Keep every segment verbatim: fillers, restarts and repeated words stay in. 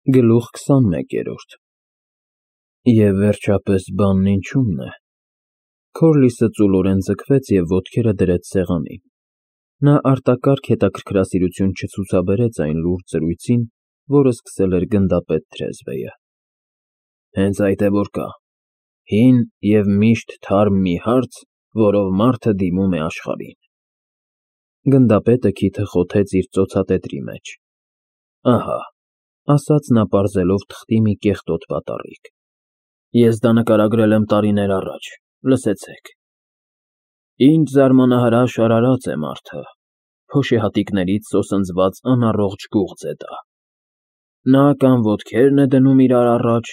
Գլուխ քսանմեկերորդ Եվ վերջապես բանն ինչու՞մն է։ Քորլիսը ծուլորեն ձգվեց և ոտքերը դրեց սեղանին. նա արտակարգ հետաքրքրասիրություն չցուցաբերեց այն լուրջ զրույցին, որը սկսել էր գնդապետ թրեզվեյը։ Հենց այդ է որ կա, հին և միշտ թարմ մի հարց, որով մարդը դիմում է աշխարհին։ Գնդապետը քիթը խոթեց իր ծոցատետրի մեջ։ Ահա, ասաց նա պարզելով թղթի մի կեղտոտ պատառիկ, ես դա նկարագրել եմ տարիներ առաջ, լսեցեք. Ինչ զարմանահրաշ արարած է մարդը, փոշեհատիկներից սոսնձված անառողջ գուղձ է դա։ Նա կամ ոտքերն է դնում իրար առաջ,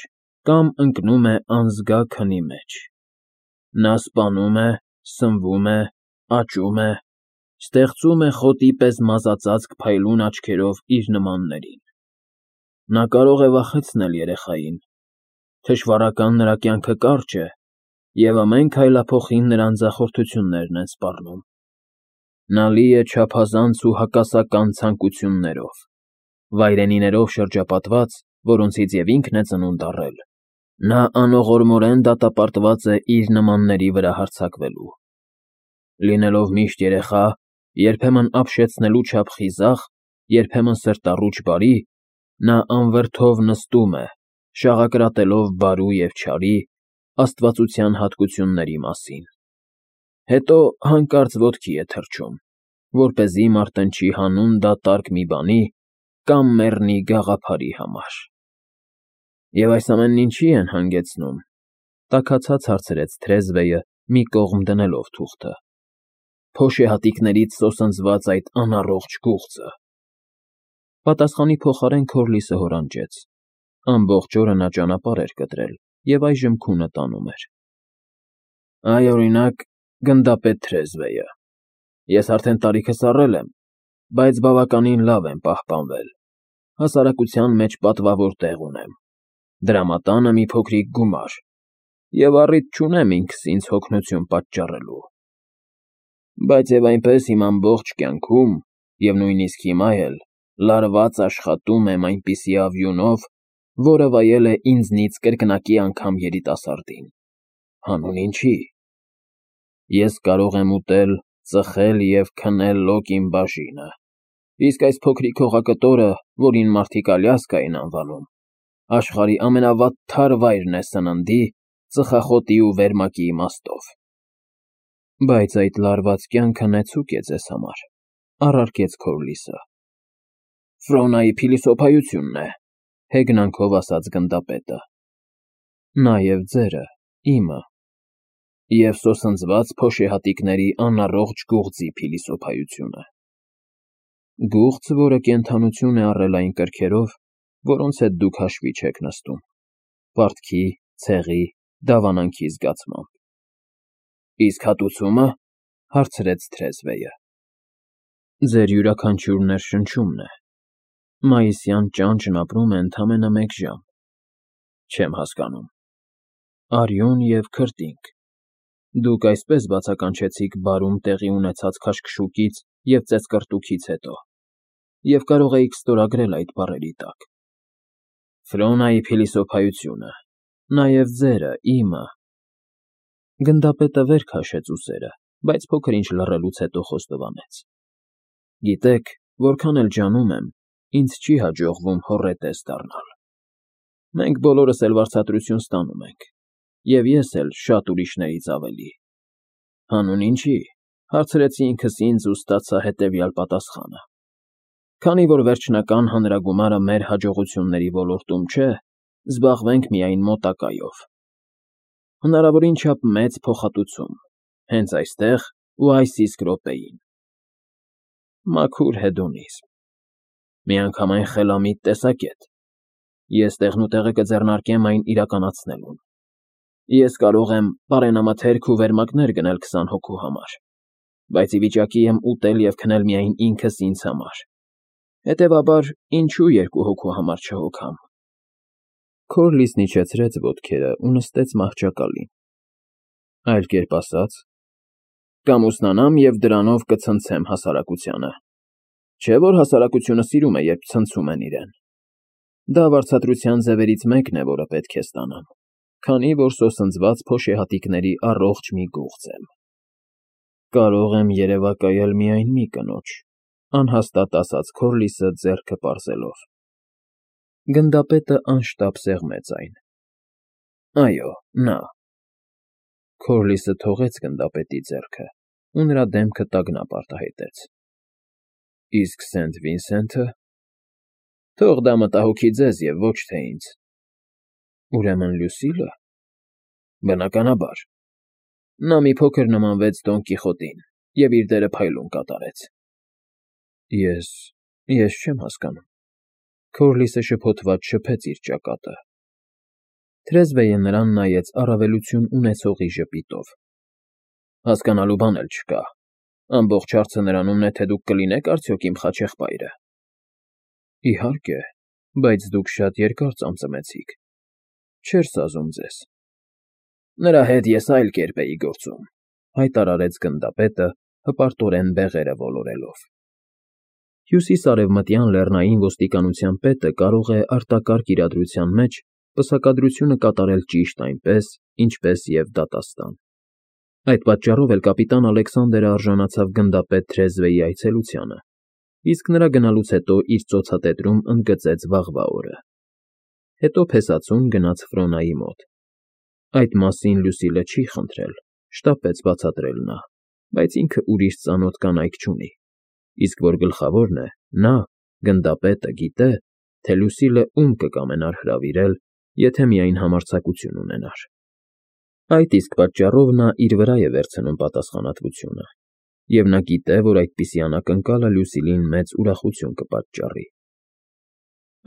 կամ ընկնում է անզգա քնի մեջ։ Նա սպանում է, սնվում է, աճում է, ստեղծում է խոտի պես մազածածկ փայլուն աչքերով իր նմաններին։ Նա կարող է վախեցնել երեխային, թշվառական նրա կյանքը կարճ է, և ամեն քայլափոխին նրան ձախորդություններն են սպառնում։ Նա լի է չափազանց ու հակասական ցանկություններով, վայրենիներով շրջապատված, որոնցից և ինքն է ծնունդ առել, նա անողորմորեն դատապարտված է իր նմանների վրա հարձակվելու։ Լինելով միշտ երեխա, երբեմն ապշեցնելու չափ խիզախ, երբեմն սրտառուչ բարի, նա անվրդով նստում է, շաղակրատելով բարու և չարի, աստվածության հատկությունների մասին։ Հետո հանկարծ ոտքի է թռչում, որպեսզի մարտնչի հանուն դատարկ մի բանի կամ մեռնի գաղափարի համար։ Եվ այս ամենն ինչի՞ են հանգեցնում, տաքացած հարցրեց թրեզվեյը, մի կողմ դնելով թուղթը։ Փոշեհատիկներից սոսնձված այդ անառողջ գուղձը։ Պատասխանի փոխարեն Քորլիսը հորանջեց. ամբողջ օրը նա ճանապարհ էր կտրել և այժմ քունը տանում էր։ Այ, օրինակ, գնդապետ թրեզվեյը, ես արդեն տարիքս առել եմ, բայց բավականին լավ եմ պահպանվել, հասարակության մեջ պատվավոր տեղ ունեմ, դրամատանը մի փոքրիկ գումար և առիթ չունեմ ինքս ինձ հոգնություն պատճառելու։ Բայց և այնպես իմ ամբողջ կյանքում, և նույնիսկ հիմա էլ, լարված աշխատում եմ այնպիսի արյունով, որը վայել է ինձնից կրկնակի անգամ երիտասարդին։ Հանուն ինչի։ Ես կարող եմ ուտել, ծխել և քնել լոկ իմ բաժինը, իսկ այս փոքրիկ հողակտորը, որին մարդիկ Ալյասկա են անվանում, աշխարհի ամենավատթար վայրն է սննդի, ծխախոտի ու վերմակի իմաստով։ Բայց այդ լարված կյանքը նեցուկ է ձեզ համար, առարկեց Քորլիսը։ Ֆրոնայի փիլիսոփայությունն է, հեգնանքով ասաց գնդապետը։ Նաև ձերը, իմը, և սոսնձված փոշեհատիկների անառողջ գուղձի փիլիսոփայությունը։ Գուղձ, որը կենդանություն է առել այն կրքերով, որոնց հետ դուք հաշվի չեք նստում, պարտքի, ցեղի, դավանանքի զգացմամբ։ Իսկ հատուցումը, հարցրեց թրեզվեյը։ Ձեր յուրաքանչյուր ներշնչումն է։ Մայիսյան ճանճն ապրում է ընդամենը մեկ ժամ։ Չեմ հասկանում։ Արյուն և քրտինք։ Դուք այսպես բացականչեցիք բարում տեղի ունեցած քաշքշուկից և ծեծկռտուքից հետո, և կարող էիք ստորագրել այդ բառերի տակ։ Ֆրոնայի փիլիսոփայությունը, նաև ձերը, իմը։ Գնդապետը վեր քաշեց ուսերը, բայց փոքր-ինչ լռելուց հետո խոստովանեց. Գիտեք, որքան էլ ջանում եմ, ինձ չի հաջողվում հոռետես դառնալ։ Մենք բոլորս էլ վարձատրություն ստանում ենք, և ես էլ շատ ուրիշներից ավելի։ Հանուն ինչի, հարցրեցի ինքս ինձ ու ստացա հետևյալ պատասխանը. քանի որ վերջնական հանրագումարը մեր հաջողությունների ոլորտում չէ, զբաղվենք միայն մոտակայով։ Հնարավորին չափ մեծ փոխհատուցում, հենց այստեղ ու այս իսկ րոպեին։ Մաքուր հեդոնիզմ։ Միանգամայն խելամիտ տեսակետ։ Ես տեղնուտեղը կձեռնարկեմ այն իրականացնելուն։ Ես կարող եմ պարենամթերք ու վերմակներ գնել քսան հոգու համար, բայց ի վիճակի եմ ուտել և քնել միայն ինքս ինձ համար։ Հետևաբար, ինչու երկու հոգու համար չհոգամ։ Քորլիսն իջեցրեց ոտքերը ու նստեց մահճակալին։ Այլ կերպ ասած, կամուսնանամ և դրանով կցնցեմ հասարակությանը։ Չէ՞ որ հասարակությունը սիրում է, երբ ցնցում են իրեն։ Դա վարձատրության ձևերից մեկն է, որը պետք է ստանամ, քանի որ սոսնձված փոշեհատիկների առողջ մի գուղծ եմ։ Կարող եմ երևակայել միայն մի կնոջ, անհաստատ ասաց Քորլիսը ձեռքը պարզելով։ Գնդապետը անշտապ սեղմեց այն։ Այո, նա։ Քորլիսը թողեց գնդապետի ձեռքը ու նրա դեմքը տագնապ արտահայտեց։ Իսկ Սենթ Վինսենթը… Թող դա մտահոգի ձեզ և ոչ թե ինձ։ Ուրեմն Լյուսիլը… Բնականաբար։ Նա մի փոքր նմանվեց Դոն Կիխոտին և իր դերը փայլուն կատարեց։ Ես… ես չեմ հասկանում… Քորլիսը շփոթված շփեց իր ճակատը։ Թրեզվեյը նրան նայեց առավելություն ունեցողի ժպիտով։ Հասկանալու բան էլ չկա… Ամբողջ հարցը նրանումն է, թե դուք կլինեք արդյոք իմ խաչեղբայրը։ Իհարկե, բայց դուք շատ երկար ծամծմեցիք… Չէր սազում ձեզ։ Նրա հետ ես այլ կերպ էի գործում, հայտարարեց գնդապետը, հպարտորեն բեղերը ոլորելով։ Հյուսիսարևմտյան լեռնային ոստիկանության պետը կարող է արտակարգ իրադրության մեջ պսակադրությունը կատարել ճիշտ այնպես, ինչպես և դատաստան։ Այդ պատճառով էլ կապիտան Ալեքսանդրը արժանացավ գնդապետ Թրեզվեի այցելությանը, իսկ նրա գնալուց հետո իր ծոցատետրում ընդգծեց վաղվա օրը։ Հետո փեսացուն գնաց Ֆրոնայի մոտ։ Այդ մասին Լյուսիլը չի խնդրել, շտապեց բացատրել նա, բայց ինքը ուրիշ ծանոթ կանայք չունի, իսկ որ գլխավորն է, նա, գնդապետը, գիտե, թե Լյուսիլը ում կկամենար հրավիրել, եթե միայն համարձակություն ունենար։ Այդ իսկ պատճառով նա իր վրա է վերցնում պատասխանատվությունը, և նա գիտե, որ այդպիսի անակնկալը Լյուսիլին մեծ ուրախություն կպատճառի։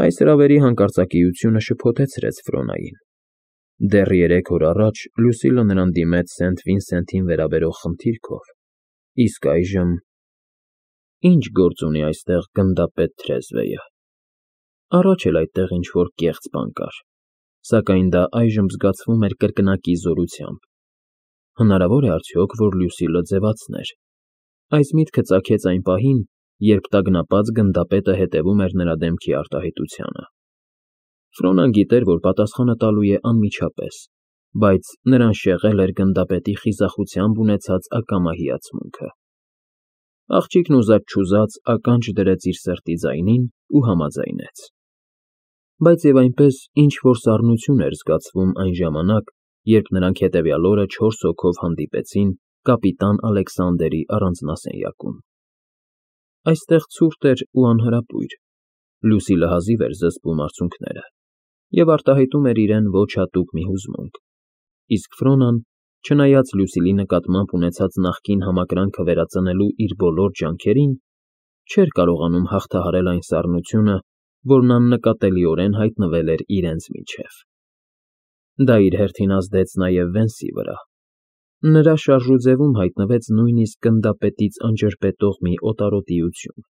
Այս հրավերի հանկարծակիությունը շփոթեցրեց Ֆրոնային։ Դեռ երեք օր առաջ Լյուսիլը նրան դիմեց Սենթ Վինսենթին վերաբերող խնդիրքով, իսկ այժմ… Ի՞նչ գործ ունի այստեղ գնդապետ Թրեզվեյը։ Առաջ էլ այդտեղ ինչ֊որ կեղծ բան կար, սակայն դա այժմ զգացվում էր կրկնակի զորությամբ։ Հնարավոր է արդյոք, որ Լյուսիլը ձևացներ։ Այս միտքը ծագեց այն պահին, երբ տագնապած գնդապետը հետևում էր նրա դեմքի արտահայտությանը։ Ֆրոնան գիտեր, որ պատասխանը տալու է անմիջապես, բայց նրան շեղել էր գնդապետի խիզախությամբ ունեցած ակամա հիացմունքը։ Աղջիկն ուզած֊չուզած ականջ դրեց իր սրտի ձայնին ու համաձայնեց։ Բայց և այնպես ինչ֊որ սառնություն էր զգացվում այն ժամանակ, երբ նրանք հետևյալ օրը չորս հոգով հանդիպեցին կապիտան Ալեքսանդերի առանձնասենյակում։ Այստեղ ցուրտ էր ու անհրապույր, Լյուսիլը հազիվ էր զսպում արցունքները և արտահայտում էր իրեն ոչ հատուկ մի հուզմունք, իսկ Ֆրոնան, չնայած Լյուսիլի նկատմամբ ունեցած նախկին համակրանքը վերածնելու իր բոլոր ջանքերին, չէր կարողանում հաղթահարել այն սառնությունը, որն աննկատելիորեն հայտնվել էր իրենց միջև։ Դա իր հերթին ազդեց նաև Վենսի վրա։ Նրա շարժուձևում հայտնվեց նույնիսկ գնդապետից անջրպետող մի օտարոտիություն։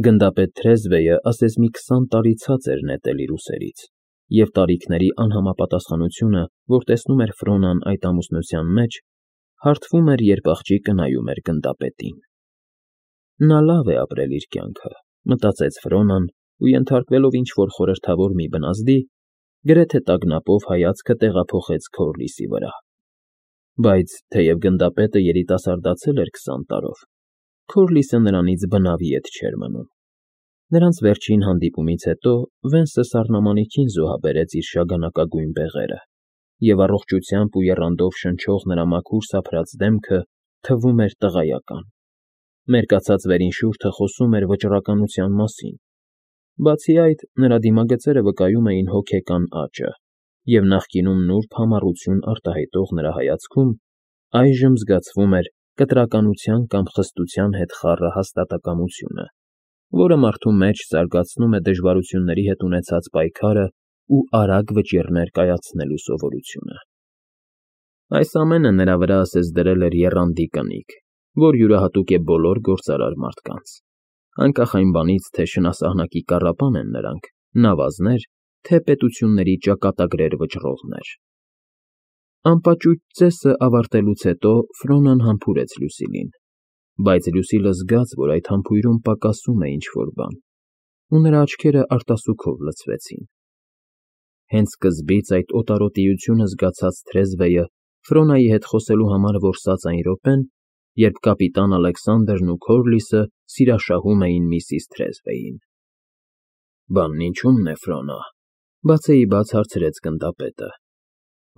Գնդապետ Թրեզվեյը ասես մի քսան տարի ցած էր նետել իր ուսերից, և տարիքների անհամապատասխանությունը, որ տեսնում էր Ֆրոնան այդ ամուսնության մեջ, հարթվում էր, երբ աղջիկը նայում էր գնդապետին։ Նա լավ է ապրել իր կյանքը, մտածեց Ֆրոնան ու ենթարկվելով ինչ֊որ խորհրդավոր մի բնազդի, գրեթե տագնապով հայացքը տեղափոխեց Քորլիսի վրա։ Բայց թեև գնդապետը երիտասարդացել էր քսան տարով, Քորլիսը նրանից բնավ ետ չէր մնում։ Նրանց վերջին հանդիպումից հետո Վենսը սառնամանիքին զոհաբերեց իր շագանակագույն բեղերը, և առողջությամբ ու եռանդով շնչող նրա մաքուր սափրած դեմքը թվում էր տղայական։ Մերկացած վերին շուրթը խոսում էր վճռականության մասին։ Բացի այդ, նրա դիմագծերը վկայում էին հոգեկան աճը, և նախկինում նուրբ համառություն արտահայտող նրա հայացքում այժմ զգացվում էր կտրականության կամ խստության հետ խառը հաստատակամությունը, որը մարդու մեջ զարգացնում է դժվարությունների հետ ունեցած պայքարը ու արագ վճիռներ կայացնելու սովորությունը։ Այս ամենը նրա վրա ասես դրել էր եռանդի կնիկ, որ յուրահատուկ է բոլոր գործարար մարդկանց, անկախ այն բանից, թե շնասահնակի կառապան են նրանք, նավազներ, թե պետությունների ճակատագրեր վճռողներ։ Անպաճույճ ծեսը ավարտելուց հետո Ֆրոնան համբուրեց Լյուսիլին, բայց Լյուսիլը զգաց, որ այդ համբույրում պակասում է ինչ֊որ բան, ու նրա աչքերը արտասուքով լցվեցին։ Հենց սկզբից այդ օտարոտիությունը զգացած թրեզվեյը Ֆրոնայի հետ խոսելու համար որսաց այն րոպեն, երբ կապիտան Ալեքսանդրն ու Քորլիսը սիրաշահում էին միսիս Թրեզվեյին։ Բանն ինչու՞մն է, Ֆրոնա,֊ բացեիբաց հարցրեց գնդապետը։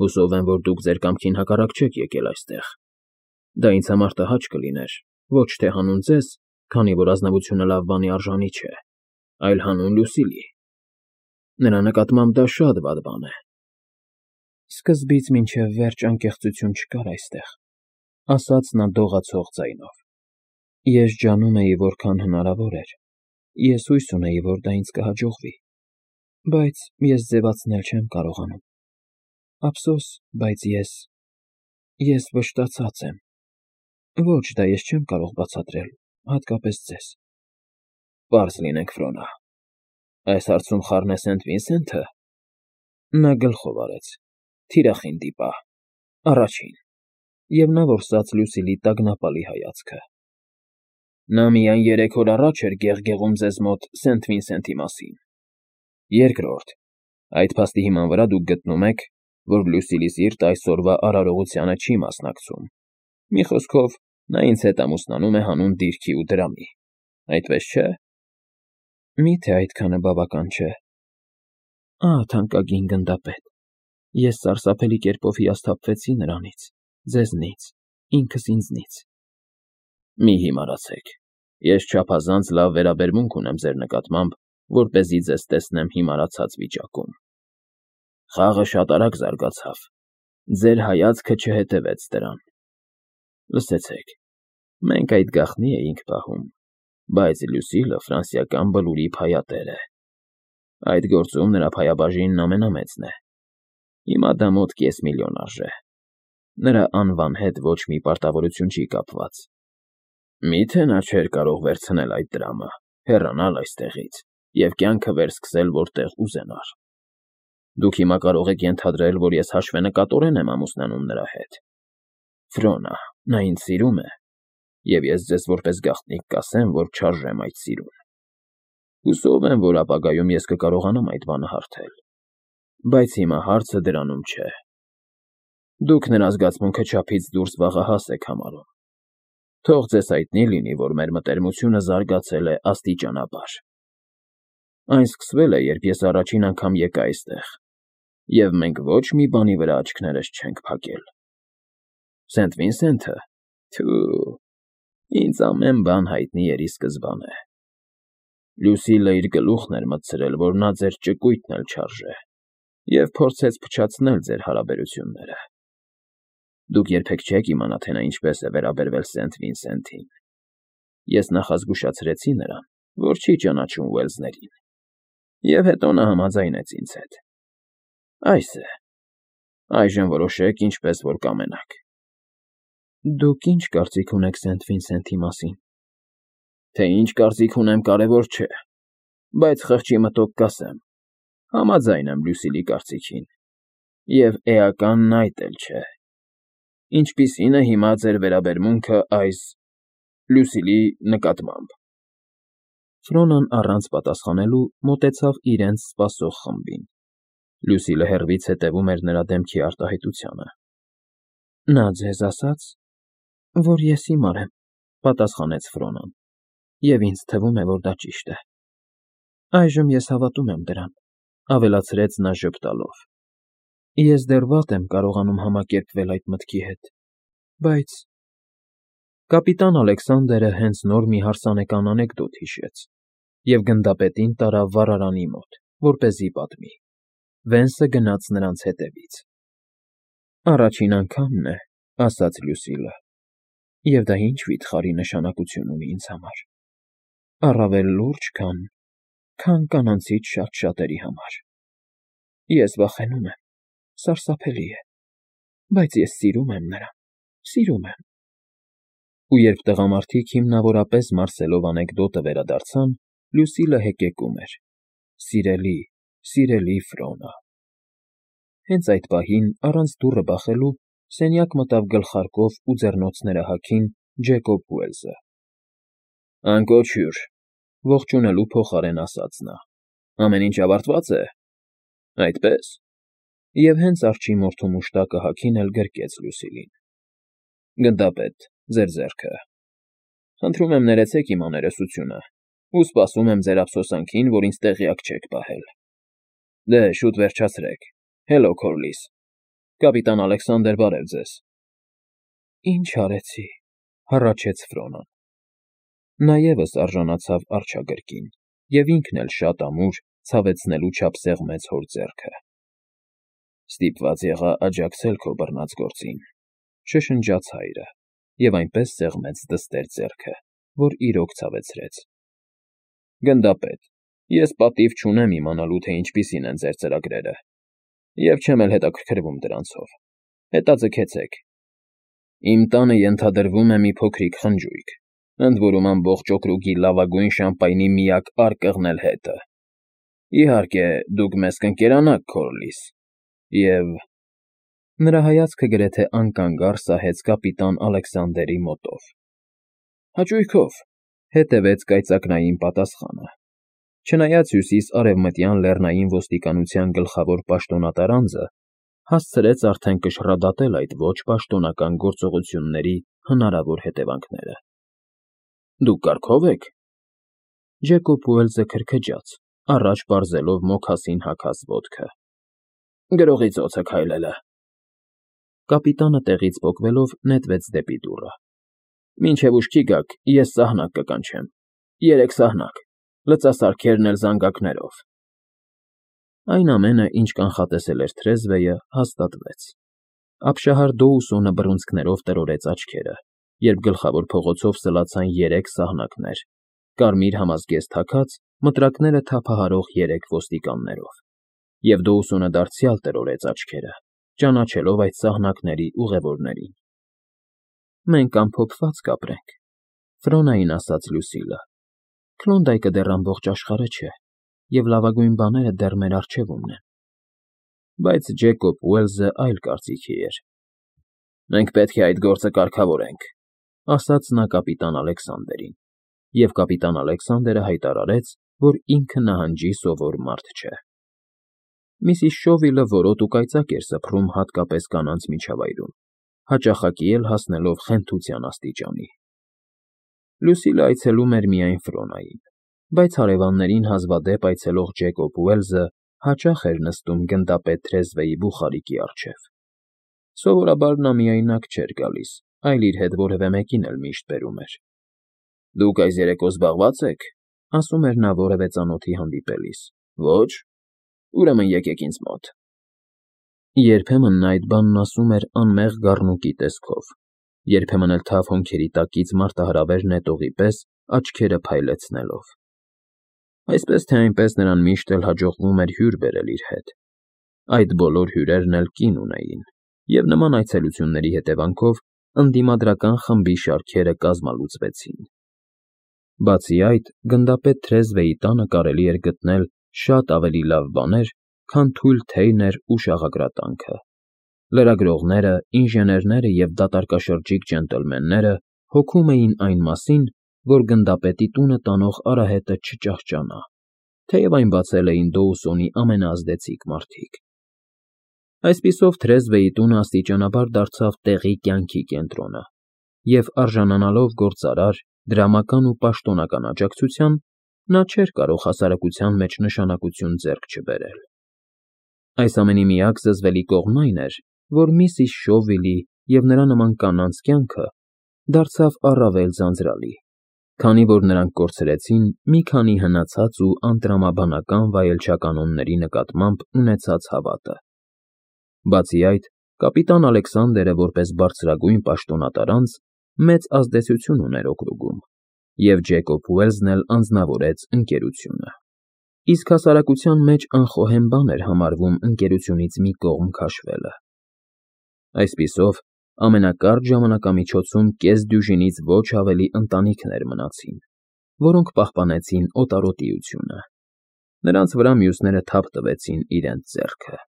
Հուսով եմ, որ դուք ձեր կամքին հակառակ չեք եկել այստեղ։ Դա ինձ համար տհաճ կլիներ, ոչ թե հանուն ձեզ, քանի որ ազնվությունը լավ բանի արժանի չէ, այլ հանուն Լուսիլի։ Նրա նկատմամբ դա շատ վատ բան է։ Սկզբից մինչև վերջ անկեղծություն չկար այստեղ, ասաց նա դողացող ձայնով։ Ես ջանում էի, որքան հնարավոր էր։ Ես հույս ունեի, որ դա ինձ կհաջողվի, բայց ես ձևացնել չեմ կարողանում։ Ափսոս, բայց ես… ես վշտացած եմ։ Ոչ, դա ես չեմ կարող բացատրել, հատկապես ձեզ։ Պարզ լինենք, Ֆրոնա, այս հարցում խառն է Սենթ Վինսենթը։ Նա գլխով արեց, թիրախին դիպա, առաջին, և նա որսաց Լուսիլի տագնապալի հայացքը։ Նա միայն երեք օր առաջ էր գեղգեղում ձեզ մոտ Սենթ Վինսենթի մասին։ Երկրորդ, այդ փաստի հիման վրա դուք գտնում եք, որ Լուսիլի սիրտը այսօրվա արարողությանը չի մասնակցում։ Մի խոսքով, նա ինձ հետ ամուսնանում է հանուն դիրքի ու դրամի, այդպես չէ։ Մի՞թե այդքանը բավական չէ։ Ահ, թանկագին գնդապետ, ես սարսափելի կերպով հիասթափվեցի նրանից, ձեզնից, ինքս ինձնից։ Մի հիմարացեք, ես չափազանց լավ վերաբերմունք ունեմ ձեր նկատմամբ, որպեսզի ձեզ տեսնեմ հիմարացած վիճակում։ Խաղը շատ արագ զարգացավ, ձեր հայացքը չհետևեց դրան։ Լսեցեք, մենք այդ գաղտնի էինք պահում, բայց Լուսիլը ֆրանսիական բլուրի փայատեր է։ Այդ գործում նրա փայաբաժինն ամենամեծն է։ Հիմա դա մոտ կես միլիոն արժե։ Նրա անվան հետ ոչ մի պարտավորություն չի կապված։ Մի՞թե նա չէր կարող վերցնել այդ դրամը, հեռանալ այստեղից և կյանքը վերսկսել որտեղ ուզենար։ Դուք հիմա կարող եք ենթադրել, որ ես հաշվենկատորեն եմ ամուսնանում նրա հետ։ Ֆրոնա, նա ինձ սիրում է, և ես ձեզ որպես գաղտնիք կասեմ, որ չարժեմ այդ սիրուն։ Հուսով եմ, որ ապագայում ես կկարողանամ այդ բանը հարթել։ Բայց հիմա հարցը դրանում չէ։ Դուք նրա զգացմունքը չափից դուրս վաղահաս եք համարում։ Թող ձեզ հայտնի լինի, որ մեր մտերմությունը զարգացել է աստիճանաբար։ Այն սկսվել է, երբ ես առաջին անգամ եկա այստեղ, և մենք ոչ մի բանի վրա աչքներս չենք փակել։ Սենթ Վինսենթը… Թու… ինձ ամեն բան հայտնի էր ի սկզբանե։ Լուսիլը իր գլուխն էր մտցրել, որ նա ձեր ճկույթն էլ չարժե, և փորձեց փչացնել ձեր հարաբերությունները։ Դուք երբեք չեք իմանա, թե նա ինչպես է վերաբերվել Սենթ Վինսենթին։ Ես նախազգուշացրեցի նրան, որ չի ճանաչում Ուելսներին, և հետո նա համաձայնեց ինձ հետ։ Այս է։ Այժմ որոշեք ինչպես որ կամենաք։ Դուք ինչ կարծիք ունեք Սենթ Վինսենթի մասին։ Թե ինչ կարծիք ունեմ, կարևոր չէ, բայց խղճի մտոք կասեմ, համաձայն եմ Լուսիլի կարծիքին, և էականն այդ էլ չէ։ Ինչպիսի՞ն է հիմա ձեր վերաբերմունքը այս… Լուսիլի նկատմամբ։ Ֆրոնան առանց պատասխանելու մոտեցավ իրենց սպասող խմբին։ Լուսիլը հեռվից հետևում էր նրա դեմքի արտահայտությանը։ Նա ձեզ ասաց, որ ես հիմար եմ, պատասխանեց Ֆրոնան, և ինձ թվում է, որ դա ճիշտ է։ Այժմ ես հավատում եմ դրան, ավելացրեց նա ժպտալով։ Ես դեռ վատ եմ կարողանում համակերպվել այդ մտքի հետ, բայց… Կապիտան Ալեքսանդրը հենց նոր մի հարսանեկան անեկդոտ հիշեց և գնդապետին տարավ վառարանի մոտ, որպեսզի պատմի։ Վենսը գնաց նրանց հետևից։ Առաջին անգամն է, ասաց Լուսիլը, և դա ինչ վիթխարի նշանակություն ունի ինձ համար։ Առավել լուրջ, քան… քան կանանցից շատ շատերի համար։ Ես վախենում եմ, սարսափելի է, բայց ես սիրում եմ նրան, սիրում եմ։ Ու երբ տղամարդիկ հիմնավորապես մարսելով անեկդոտը վերադարձան, Լուսիլը հեկեկում էր. Սիրելի, սիրելի Ֆրոնա։ Հենց այդ պահին, առանց դուռը բախելու, սենյակ մտավ գլխարկով ու ձեռնոցները հագին Ջեկոբ Ուելսը։ Անկոչ հյուր, ողջունելու փոխարեն ասաց նա։ Ամեն ինչ ավարտվա՞ծ է։ Այդպես։ Եվ հենց արջի մորթու մուշտակը հագին էլ գրկեց Լուսիլին։ Գնդապետ, ձեր ձեռքը։ Խնդրում եմ ներեցեք իմ աներեսությունը ու սպասում եմ ձեր ափսոսանքին, որ ինձ տեղյակ չեք պահել։ Դե, շուտ վերջացրեք։ Հելո, Քորլիս։ Կապիտան Ալեքսանդր, բարև ձեզ։ Ինչ արեցի, հառաչեց Ֆրոնան։ Նա ևս արժանացավ արջագրկին և ինքն էլ շատ ամուր ցավեցնելու չափ սեղմեց հոր ձեռքը։ Ստիպված եղա աջակցել քո բռնած գործին, շշնջաց հայրը և այնպես սեղմեց դստեր ձեռքը, որ իրոք ցավեցրեց։ Գնդապետ, ես պատիվ չունեմ իմանալու, թե ինչպիսին են ձեր ծրագրերը, և չեմ էլ հետաքրքրվում դրանցով։ Հետաձգեցեք։ Իմ տանը ենթադրվում է մի փոքրիկ խնջույք, ընդ որում ամբողջ օկրուգի լավագույն շամպայնի միակ արկղն էլ հետը։ Իհարկե, դուք մեզ կընկերանաք, Քորլիս, և… Նրա հայացքը գրեթե անկանգառ սահեց կապիտան Ալեքսանդերի մոտով։ Հաճույքով, հետևեց կայծակնային պատասխանը։ Չնայած հյուսիս֊արևմտյան լեռնային ոստիկանության գլխավոր պաշտոնատար անձը հասցրեց արդեն կշռադատել այդ ոչ պաշտոնական գործողությունների հնարավոր հետևանքները։ Դուք կարգո՞վ եք։ Ջեկոբ Ուելսը քրքջաց, առաջ պարզելով մոքասին հագած ոտքը։ Գրողի ծոցը քայլել է։ Կապիտանը տեղից պոկվելով նետվեց դեպի դուռը։ Մինչև ուշքի գաք, ես սահնակ կկանչեմ։ Երեք սահնակ, լծասարքերն էլ զանգակներով։ Այն ամենը, ինչ կանխատեսել էր թրեզվեյը, հաստատվեց։ Ապշահար Դոուսոնը բռունցքներով տրորեց աչքերը, երբ գլխավոր փողոցով սլացան երեք սահնակներ, կարմիր համազգեստ հագած, մտրակները թափահարող երեք ոստիկաններով, և Դոուսոնը դարձյալ տրորեց աչքերը, ճանաչելով այդ սահնակների ուղևորներին։ Մենք ամփոփված կապրենք, Ֆրոնային ասաց Լուսիլը։ Քլոնդայքը դեռ ամբողջ աշխարհը չէ, և լավագույն բաները դեռ մեր առջևումն են։ Բայց Ջեկոբ Ուելսը այլ կարծիքի էր։ Մենք պետք է այդ գործը կարգավորենք, ասաց նա կապիտան Ալեքսանդերին, և կապիտան Ալեքսանդերը հայտարարեց, որ ինքը նահանջի սովոր մարդ չէ։ Միսիս Շովիլը որոտ ու կայծակ էր սփռում հատկապես կանանց միջավայրում, հաճախակի էլ հասնելով խենթության աստիճանի։ Լուսիլը այցելում էր միայն Ֆրոնային, բայց հարևաններին հազվադեպ այցելող Ջեկոբ Ուելսը հաճախ էր նստում գնդապետ թրեզվեի բուխարիկի առջև։ Սովորաբար նա միայնակ չէր գալիս, այլ իր հետ որևէ մեկին էլ միշտ բերում էր։ Դուք այս երեկո զբաղվա՞ծ եք, ասում էր նա որևէ ծանոթի հանդիպելիս։ Ոչ։ Ուրեմն եկեք ինձ մոտ։ Երբեմն նա այդ բանն ասում էր անմեղ գառնուկի տեսքով, երբեմն էլ թավ հոնքերի տակից մարտահրավեր նետողի պես աչքերը փայլեցնելով։ Այսպես թե այնպես նրան միշտ էլ հաջողվում էր հյուր բերել իր հետ։ Այդ բոլոր հյուրերն էլ կին ունեին, և նման այցելությունների հետևանքով ընդդիմադրական խմբի շարքերը կազմալուծվեցին։ Բացի այդ, գնդապետ թրեզվեի տանը կարելի էր գտնել շատ ավելի լավ բաներ, քան թույլ թեյներ ու շաղակրատանքը։ Լրագրողները, ինժեներները և դատարկաշրջիկ ջենտլմենները հոգում էին այն մասին, որ գնդապետի տունը տանող արահետը չճահճանա, թեև այն բացել էին Դոուսոնի ամենաազդեցիկ մարդիկ։ Այսպիսով թրեզվեի տունը աստիճանաբար դարձավ տեղի կյանքի կենտրոնը, և արժանանալով գործարար, դրամական ու պաշտոնական աջակցության, նա չէր կարող հասարակության մեջ նշանակություն ձեռք չբերել։ Այս ամենի միակ զզվելի կողմն այն էր, որ միսիս Շովիլի և նրա նման կանանց կյանքը դարձավ առավել ձանձրալի, քանի որ նրանք կորցրեցին մի քանի հնացած ու անտրամաբանական վայելչականոնների նկատմամբ ունեցած հավատը։ Բացի այդ, կապիտան Ալեքսանդերը որպես բարձրագույն պաշտոնատար անձ մեծ ազդեցություն ուներ օկրուգում, և Ջեկոբ Ուելսն էլ անձնավորեց ընկերությունը։ Իսկ հասարակության մեջ անխոհեմ բան էր համարվում ընկերությունից մի կողմ քաշվելը։ Այսպիսով, ամենակարճ ժամանակամիջոցում կես դյուժինից ոչ ավելի ընտանիքներ մնացին, որոնք պահպանեցին օտարոտիությունը։ Նրանց վրա մյուսները թափ տվեցին իրենց ձեռքը։